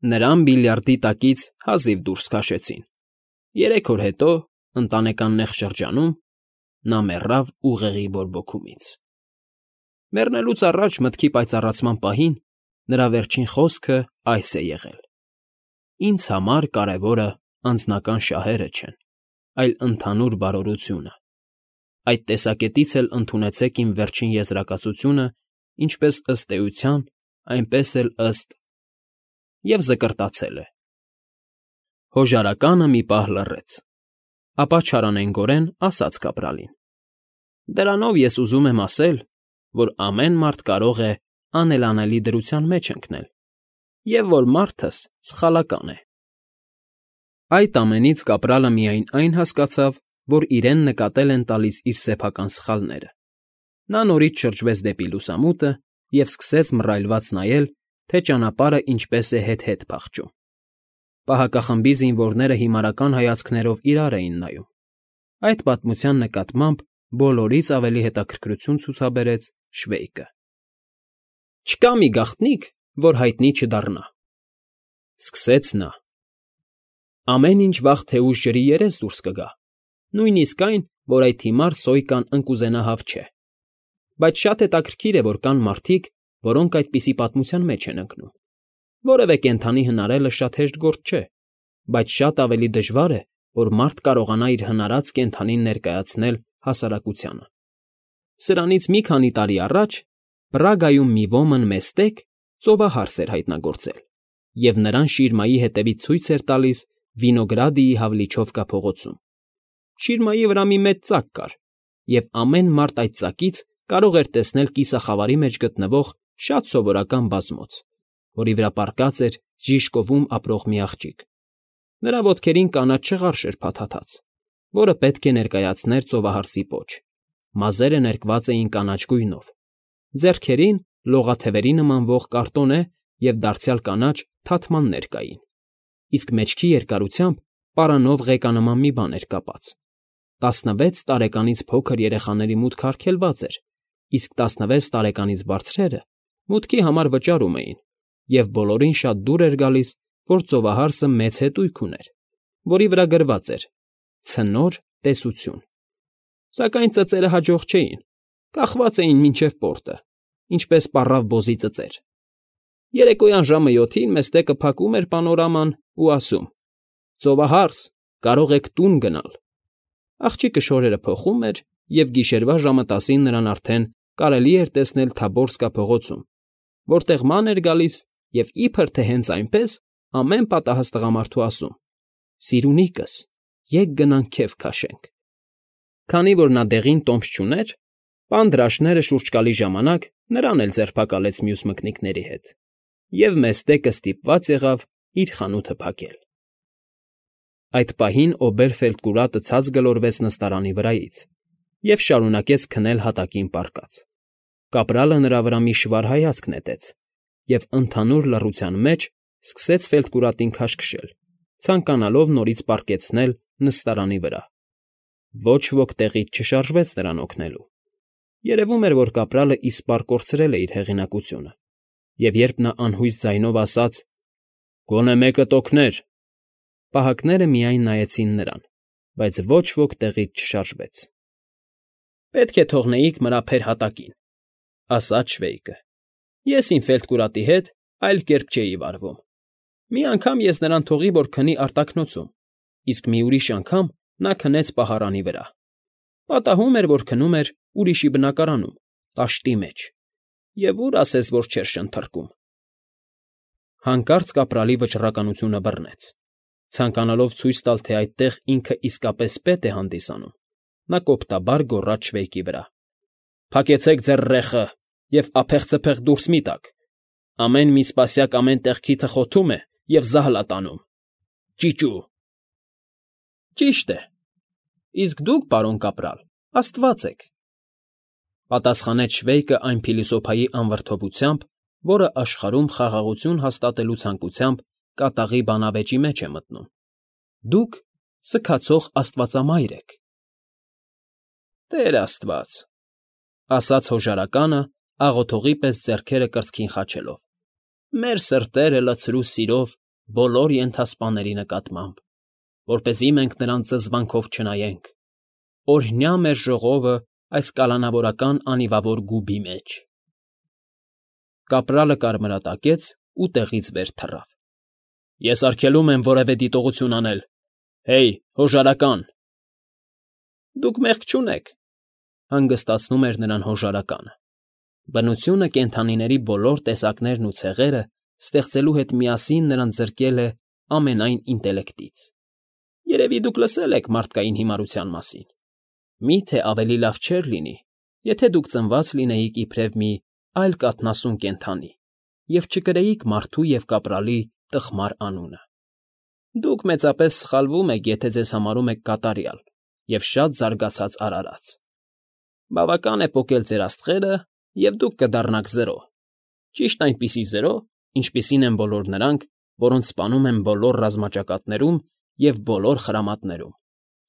Նրան բիլիարդի տակից հազիվ դուրս քաշեցին։ 3 օր հետո, ընտանեկան նեղ շրջանում, նա մեռավ ուղեղի բորբոքումից։ Մեռնելուց առաջ մտքի պայծառացման պահին նրա վերջին խոսքը այս է եղել. «Ինձ համար կարևորը անձնական շահերը չեն, այլ ընդհանուր բարօրությունը։ Այդ տեսակետից էլ ընդունեցեք իմ վերջին եզրակացությունը ինչպես ըստ էության, այնպես էլ ըստ…» և զկրտացել է։ Հոժարականը մի պահ լռեց, ապա չարանենգորեն ասաց կապրալին. «Դրանով ես ուզում եմ ասել, որ ամեն մարդ կարող է անելանելի դրության մեջ ընկնել, և որ մարդս սխալական է»։ Այդ ամենից կապրալը միայն այն հասկացավ, որ իրեն նկատել են տալիս իր սեփական սխալները։ Նա նորից շրջվեց դեպի լուսամուտը և սկսեց մռայլված նայել, թե ճանապարհը ինչպես է հետ֊հետ փախչում։ Պահակախմբի զինվորները հիմարական հայացքներով իրար էին նայում։ Այդ պատմության նկատմամբ բոլորից ավելի հետաքրքրություն ցուցաբերեց Շվեյկը։ «Չկա մի գաղտնիք, որ հայտնի չդառնա,֊ սկսեց նա։ «Ամեն ինչ վաղ թե ուշ ջրի երես դուրս կգա, նույնիսկ այն, որ այդ հիմար Սոյկան ընկուզենահավ չէ։ Բայց շատ հետաքրքիր է, որ կան մարդիկ, որոնք այդպիսի պատմության մեջ են ընկնում։ Որևէ կենդանի հնարելը շատ հեշտ գործ չէ, բայց շատ ավելի դժվար է, որ մարդ կարողանա իր հնարած կենդանին ներկայացնել հասարակությանը։ Սրանից մի քանի տարի առաջ Պրագայում մի ոմն մեստեք ծովահարս էր հայտնագործել, և նրան շիրմայի հետևից ցույց էր տալիս Վինոգրադիի հավլիչովկա փողոցում։ Շիրմայի վրա մի մեծ ծակ կար, և ամեն մարդ այդ ծակից կարող էր տեսնել կիսախավարի մեջ գտնվող շատ սովորական բազմոց, որի վրա պառկած էր Ժիժկովում ապրող մի աղջիկ։ Նրա ոտքերին կանաչ չղարշ էր փաթաթած, որը պետք է ներկայացներ ծովահարսի պոչ, մազերը ներկված էին կանաչ գույնով, ձեռքերին լողաթևերի նմանվող կարտոնե և դարձյալ կանաչ թաթմաններ կային, իսկ մեջքի երկարությամբ պարանով ղեկանման մի բան էր կապած։ 16 տարեկանից փոքր երեխաների մուտքը արգելված էր, իսկ 16 տարեկանից բարձրերը մուտքի համար վճարում էին, և բոլորին շատ դուր էր գալիս, որ ծովահարսը մեծ հետույք ուներ, որի վրա գրված էր «Ցնոր տեսություն»։ Սակայն ծծերը հաջող չէին, կախված էին մինչև պորտը, ինչպես պառավ բոզի ծծեր։ Երեկոյան ժամը 7-ին մեստեկը փակում էր պանորաման ու ասում. «Ծովահարս, կարող եք տուն գնալ»։ Աղջիկը շորերը փոխում էր, և գիշերվա ժամը 10-ին նրան արդեն կարելի էր տեսնել Թաբորսկա փողոցում, որտեղ ման էր գալիս և իբր թե հենց այնպես ամեն պատահած տղամարդու ասում. «Սիրունիկս, եկ գնանք քեֆ քաշենք»։ Քանի որ նա դեղին տոմս չուներ, պան դրաշները շուրջ գալի ժամանակ նրան էլ ձերբակալեց մյուս մկնիկների հետ, և մեստեկը ստիպված եղավ իր խանութը փակել։ Այդ պահին Օբերֆելդկուրատը ցած գլորվեց նստարանի վրայից և շարունակեց քնել հատակին պառկած։ Կապրալը նրա վրա մի շվար հայացք նետեց և ընդհանուր լռության մեջ սկսեց Ֆելդկուրատին քաշքշել, ցանկանալով նորից պառկեցնել նստարանի վրա։ Ոչ ոք տեղից չշարժվեց նրան օգնելու։ Երևում էր, որ կապրալը իսպառ կորցրել է իր հեղինակությունը, և երբ նա անհույս ձայնով ասաց. «Գոնե մեկը տօգներ», պահակները միայն նայեցին նրան, բայց ոչ ոք տեղից չշարժվեց։ «Պետք է թողնեիք մրափեր հատակին», ասաց Շվեյկը։ «Ես իմ Ֆելդկուրատի հետ այլ կերպ չէի վարվում։ Մի անգամ ես նրան թողի, որ քնի արտաքնոցում, իսկ մի ուրիշ անգամ նա քնեց պահարանի վրա։ Պատահում էր, որ քնում էր ուրիշի բնակարանում, տաշտի մեջ, և ուր ասես, որ չէր շնթռկում»։ Հանկարծ կապրալի վճռականությունը բռնեց։ Ցանկանալով ցույց տալ, թե այդտեղ ինքը իսկապես պետ է հանդիսանում, նա կոպտաբար գոռաց Շվեյկի վրա. «Փակեցեք ձեր ռեխը և ափեղ֊ծփեղ դուրս մի՛ տաք։ Ամեն մի սպասյակ ամեն տեղ քիթը խոթում է և զահլա տանում։ Ճիճու»։ «Ճիշտ է, իսկ դուք, պարոն կապրալ, աստված եք», պատասխանեց Շվեյկը այն փիլիսոփայի անվրդովությամբ, որը աշխարհում խաղաղություն հաստատելու ցանկությամբ կատաղի բանավեճի մեջ է մտնում։ «Դուք սգացող աստվածամայր եք»։ «Տեր աստված», ասաց հոժարականը, աղոթողի պես ձեռքերը կրծքին խաչելով, «մեր սրտերը լցրու սիրով բոլոր ենթասպաների նկատմամբ, որպեսզի մենք նրան զզվանքով չնայենք, օրհնյա մեր ժողովը այս կալանավորական անիվավոր գուբի մեջ։ Կապրալը կարմրատակեց ու տեղից վեր թռավ։ Ես արգելում եմ որևէ դիտողություն անել։ Հեյ, հոժարական։ Դուք մեղք չունեք, հանգստացնում էր նրան հոժարականը։ Բնությունը կենդանիների բոլոր տեսակներն ու ցեղերը ստեղծելու հետ միասին նրան զրկել է ամենայն ինտելեկտից։ Երևի դուք լսել եք մարդկային հիմարության մասին։ Մի՞թե ավելի լավ չէր լինի, եթե դուք ծնված լինեիք իբրև մի այլ կաթնասուն կենդանի և չկրեիք մարդու և կապրալի տխմար անունը։ Դուք մեծապես սխալվում եք, եթե ձեզ համարում եք կատարյալ և շատ զարգացած արարած։ Բավական է պոկել ձեր աստղերը, և դուք կդառնաք զրո, ճիշտ այնպիսի զրո, ինչպիսին են բոլոր նրանք, որոնց սպանում են բոլոր ռազմաճակատներում և բոլոր խրամատներում,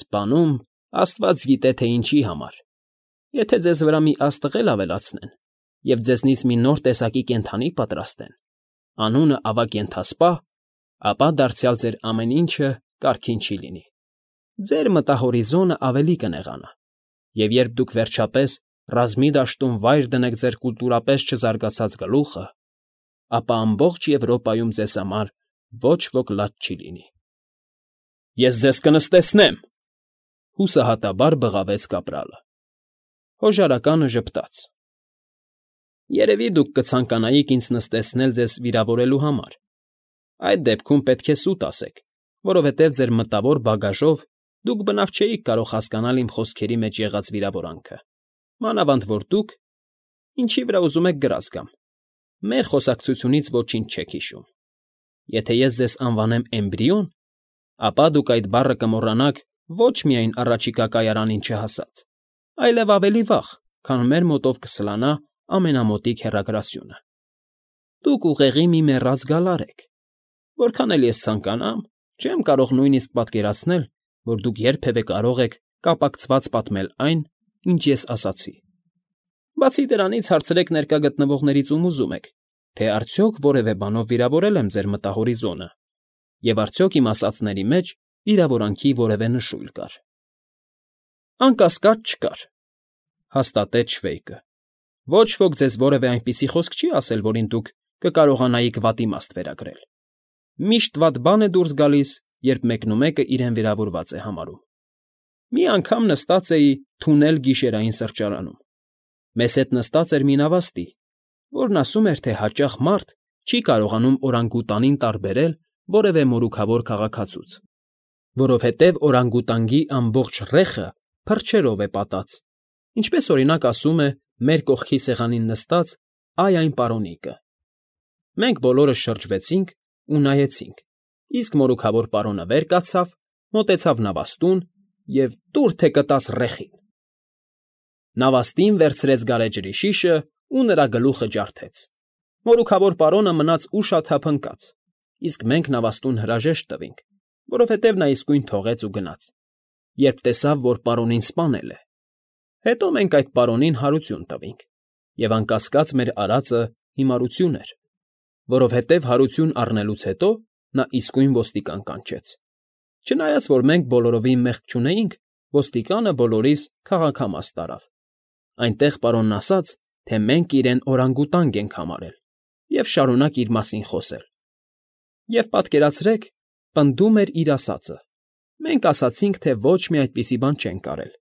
սպանում, աստված գիտե թե ինչի համար։ Եթե ձեզ վրա մի աստղ ավելացնեն և ձեզնից մի նոր տեսակի կենդանի պատրաստեն, անունը ավագ ենթասպա, ապա դարձյալ ձեր ամեն ինչը կարգին չի լինի։ Ձեր մտահորիզոնը ավելի կնեղանա, և երբ դուք վերջապես ռազմի դաշտում վայր դնեք ձեր կուլտուրապես չզարգացած գլուխը, ապա ամբողջ Եվրոպայում ձեզ համար ոչ ոք լաց չի լինի։ Ես ձեզ կնստեցնեմ,֊ հուսահատաբար բղավեց կապրալը։ Հոժարականը ժպտաց։ Երևի դուք կցանկանայիք ինձ նստեցնել ձեզ վիրավորելու համար։ Այդ դեպքում պետք է սուտ ասեք, որովհետև ձեր մտավոր բագաժով դուք բնավ չէիք կարող հասկանալ իմ խոսքերի մեջ եղած վիրավորանքը, մանավանդ որ դուք, ինչի վրա ուզում եք գրած գամ, մեր խոսակցությունից ոչինչ չեք հիշում։ Եթե ես ձեզ անվանեմ էմբրիոն, ապա դուք այդ բառը կմոռանաք ոչ միայն առաջիկա կայարանին չհասած, այլև ավելի վաղ, քան մեր մոտով կսլանա ամենամոտիկ հեռագրասյունը։ Դուք ուղեղի մի մեռած գալար եք։ Որքան էլ ես ցանկանամ, չեմ կարող նույնիսկ պատկերացնել, որ դուք երբևէ կարող եք կապակցված պատմել այն, ինչ ես ասացի։ Բացի դրանից հարցրեք ներկա գտնվողներից ում ուզում եք, թե արդյոք որևէ բանով վիրավորել եմ ձեր մտահորիզոնը, և արդյոք իմ ասածների մեջ վիրավորանքի որևէ նշույլ կար։ Անկասկած չկար, հաստատեց Շվեյկը։ Ոչ ոք ձեզ որևէ այնպիսի խոսք չի ասել, որին դուք կկարողանայիք վատիմաստ վերագրել։ Միշտ վատ բան է դուրս գալիս, երբ մեկնումեկը իրեն վիրավորված է համարում։ Մի անգամ նստած էի թունել գիշերային սրճարանում։ Մեզ հետ նստած էր մի նավաստի, որն ասում էր, թե հաճախ մարդ չի կարողանում օրանգուտանին տարբերել որևէ մորուքավոր քաղաքացուց, որովհետև օրանգուտանգի ամբողջ ռեխը փրչերով է պատած, ինչպես օրինակ ասում է մեր կողքի սեղանին նստած այն պարոնիկը։ Մենք բոլորս շրջվեցինք ու նայեցինք, իսկ մորուքավոր պարոնը վեր կացավ, մոտեցավ նավաստուն և տուր թե կտաս ռեխին։ Նավաստին վերցրեց գարեջրի շիշը ու նրա գլուխը ջարդեց։ Մորուքավոր պարոնը մնաց ուշաթափ ընկած, իսկ մենք նավաստուն հրաժեշտ տվինք, որովհետև նա իսկույն թողեց ու գնաց, երբ տեսավ, որ պարոնին սպանել է։ Հետո մենք այդ պարոնին հարություն տվինք, և անկասկած մեր արածը հիմարություն էր, որովհետև հարություն առնելուց հետո նա իսկույն ոստիկան կանչեց։ Չնայած որ մենք բոլորովին մեղք չունեինք, ոստիկանը բոլորիս քաղաքամաս տարավ։ Այնտեղ պարոնն ասաց, թե մենք իրեն օրանգուտանգ ենք համարել և շարունակ իր մասին խոսել։ Եվ պատկերացրեք, պնդում էր իր ասածը։ Մենք ասացինք, թե ոչ մի այդպիսի բան չենք արել,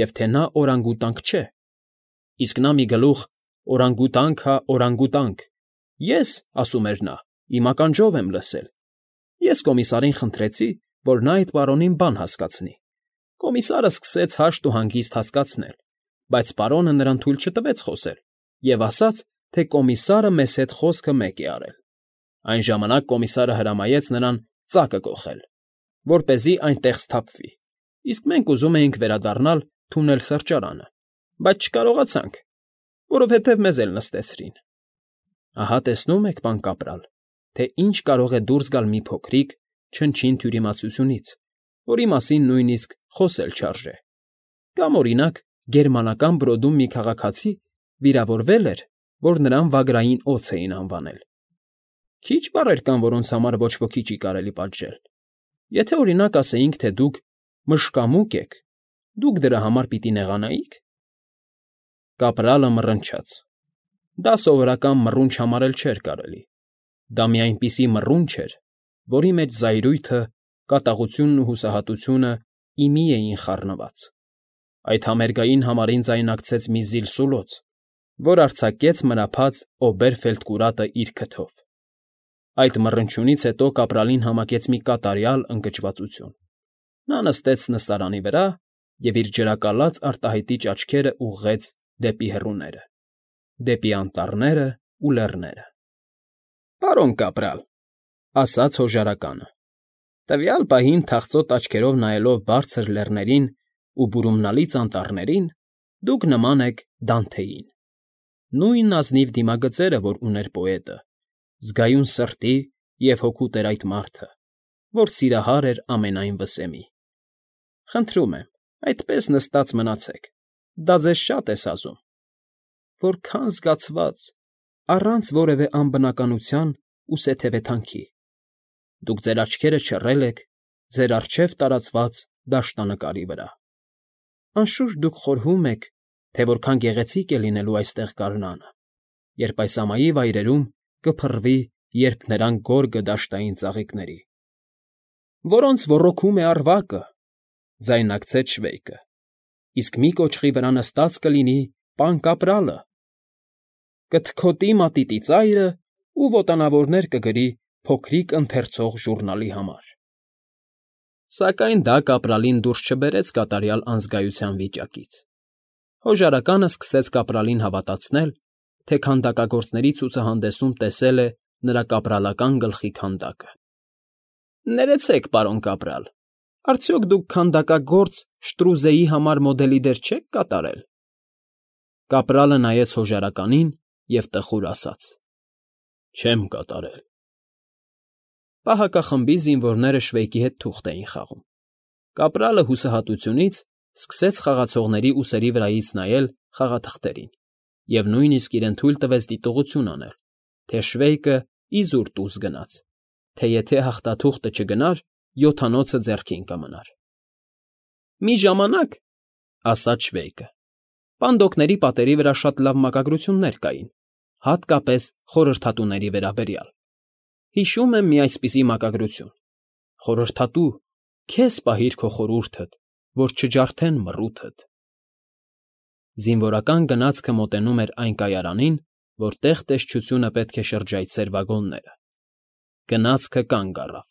և թե նա օրանգուտանք չէ։ Իսկ նա մի գլուխ օրանգուտանք հա օրանգուտանք։ Ես, ասում էր նա, իմ ականջով եմ լսել։ Ես կոմիսարին խնդրեցի, որ նա այդ պարոնին բան հասկացնի։ Կոմիսարը սկսեց հաշտ ու հանգիստ հասկացնել, բայց պարոնը նրան թույլ չտվեց խոսել և ասաց, թե կոմիսարը մեզ հետ խոսքը մեկ է արել։ Այն ժամանակ կոմիսարը հրամայեց նրան ծակը կոխել, որպեսզի այնտեղ սթափվի, իսկ մենք ուզում էինք վերադառնալ թունել սրճարանը, բայց չկարողացանք, որովհետև մեզ էլ նստեցրին։ Ահա տեսնում եք, պան կապրալ, թե ինչ կարող է դուրս գալ մի փոքրիկ, չնչին թյուրիմացությունից, որի մասին նույնիսկ խոսել չարժե։ Կամ, օրինակ, գերմանական Բրոդում մի քաղաքացի վիրավորվել էր, որ նրան վագրային օձ էին անվանել։ Քիչ բառեր կան, որոնց համար ոչ ոքի չի կարելի պատժել։ Եթե, օրինակ, ասեինք, թե դուք մշկամուկ եք, դուք դրա համար պիտի նեղանայի՞ք։ Կապրալը մռնչաց։ Դա սովորական մռունչ համարել չէր կարելի։ Դա մի այնպիսի մռունչ էր, որի մեջ զայրույթը, կատաղությունն ու հուսահատությունը ի մի էին խառնված։ Այդ համերգային համարին ձայնակցեց մի զիլսուլոց, որ արձակեց մրափած Օբերֆելդկուրատը իր քթով։ Այդ մռնչյունից հետո կապրալին համակեց մի կատարյալ ընկճվածություն։ Նա նստեց նստարանի վրա և իր ջրակալած արտահայտիչ աչքերը ուղղեց դեպի հեռուները, դեպի անտառները ու լեռները։ ֊ Պարոն կապրալ,֊ ասաց հոժարականը, տվյալ պահին թախծոտ աչքերով նայելով բարձր լեռներին ու բուրումնալից անտառներին, դուք նման եք Դանթեին։ Նույն ազնիվ դիմագծերը, որ ուներ պոետը, զգայուն սրտի և հոգուտ էր այդ մարդը, որ սիրահար էր ամենայն վսեմի։ Խնդրում եմ, այդպես նստած մնացեք, դա ձեզ շատ է սազում։ Որքա՜ն զգացված, առանց որևէ անբնականության ու սեթևեթանքի։ Դուք ձեր աչքերը չռել եք ձեր առջև տարածված դաշտանկարի վրա։ Անշուշտ դուք խորհում եք, թե որքան գեղեցիկ է լինելու այստեղ գարնանը, երբ այս ամայի վայրերում կփռվի երփներանգ գորգը դաշտային ծաղիկների։ Որոնց ոռոգում է առվակը, ձայնարկեց Շվեյկը, իսկ մի կոճղի վրա նստած կլինի պան Կապրալը, կթքոտի մատիտի ծայրը ու ոտանավորներ կգրի փոքրիկ ընթերցող ժուռնալի համար։ Սակայն դա կապրալին դուրս չբերեց կատարյալ անզգայության վիճակից։ Հոժարականը սկսեց կապրալին հավատացնել, թե քանդակագործների ցուցահանդեսում տեսել է նրա կապրալական գլխի քանդակը։ Ներեցեք, պարոն կապրալ, արդյոք դուք քանդակագործ Շտրուզեի համար մոդելի դեր չեք կատարել։ Կապրալը նայեց հոժարականին և տխուր ասաց. Չեմ կատարել։ Պահակախմբի զինվորները Շվեյկի հետ թուղթ էին խաղում։ Կապրալը հուսահատությունից սկսեց խաղացողների ուսերի վրայից նայել խաղաթղթերին և նույնիսկ իրեն թույլ տվեց դիտողություն անել, թե Շվեյկը իզուր տուզ գնաց, թե եթե հաղթաթուղթը չգնար, յոթանոցը ձեռքին կմնար։ Մի ժամանակ, ասաց Շվեյկը, պանդոկների պատերի վրա շատ լավ մակագրություններ կային, հատկապես խորհրդատուների վերաբերյալ։ Հիշում եմ մի այսպիսի մակագրություն. «Խորհրդատու, քեզ պահիր քո խորհուրդդ, որ չջարդեն մռութդ»։ Զինվորական գնացքը մոտենում էր այն կայարանին, որտեղ տեսչությունը պետք է շրջայցեր վագոնները։ Գնացքը կանգ առավ։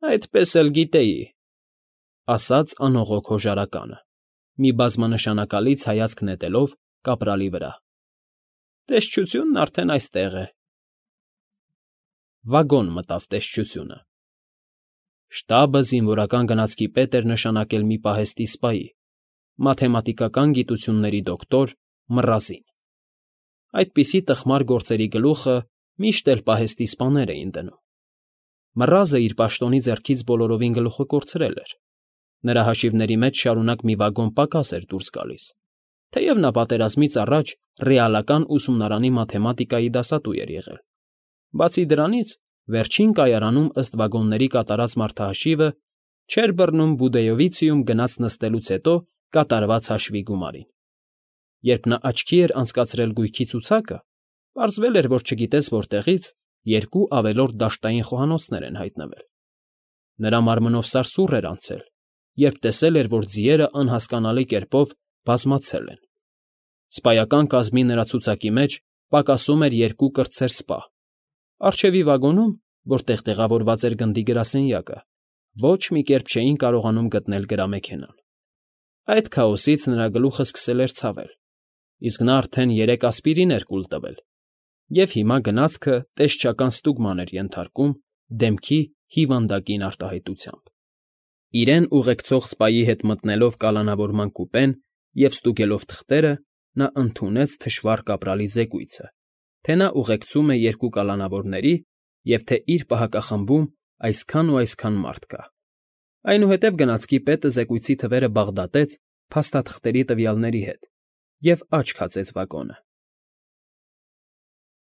Այդպես էլ գիտեի, ասաց անողոք հոժարականը, մի բազմանշանակալից հայացք նետելով կապրալի վրա։ Տեսչությունն արդեն այստեղ է։ Վագոն մտավ տեսչությունը։ Շտաբը զինվորական գնացքի պետ էր նշանակել մի պահեստի սպայի, մաթեմատիկական գիտությունների դոկտոր Մռազին։ Այդպիսի տխմար գործերի գլուխը միշտ էլ պահեստի սպաներ էին դնում։ Մռազը իր պաշտոնի ձեռքից բոլորովին գլուխը կորցրել էր։ Նրա հաշիվների մեջ շարունակ մի վագոն պակաս էր դուրս գալիս, թեև նա պատերազմից առաջ ռեալական ուսումնարանի մաթեմատիկայի դասատու էր եղել։ Բացի դրանից, վերջին կայարանում ըստ վագոնների կատարած մարդահաշիվը չէր բռնում Բուդեյովիցիում գնաց նստելուց հետո կատարված հաշվի գումարին։ Երբ նա աչքի էր անցկացրել գույքի ցուցակը, պարզվել էր, որ չգիտես որտեղից երկու ավելորդ դաշտային խոհանոցներ են հայտնվել։ Նրա մարմնով սարսուռ էր անցել, երբ տեսել էր, որ ձիերը անհասկանալի կերպով բազմացել են։ Սպայական կազմի նրա ցուցակի մեջ պակասում էր երկու կրտսեր սպա։ Առջևի վագոնում, որտեղ տեղավորված էր գնդի գրասենյակը, ոչ մի կերպ չէին կարողանում գտնել գրամեքենան։ Այդ քաոսից նրա գլուխը սկսել էր ցավել, իսկ նա արդեն 3 ասպիրին էր կուլ տվել, և հիմա գնացքը տեսչական ստուգման էր ենթարկում դեմքի հիվանդագին արտահայտությամբ։ Իրեն ուղեկցող սպայի հետ մտնելով կալանավորման կուպեն և ստուգելով թղթերը, նա ընդունեց թշվառ կապրալի զեկույցը, թե նա ուղեկցում է 2 կալանավորների և թե իր պահակախմբում այսքան ու այսքան մարդ կա։ Այնուհետև գնացքի պետը զեկույցի թվերը բաղդատեց փաստաթղթերի տվյալների հետ և աչք հացեց վագոնը։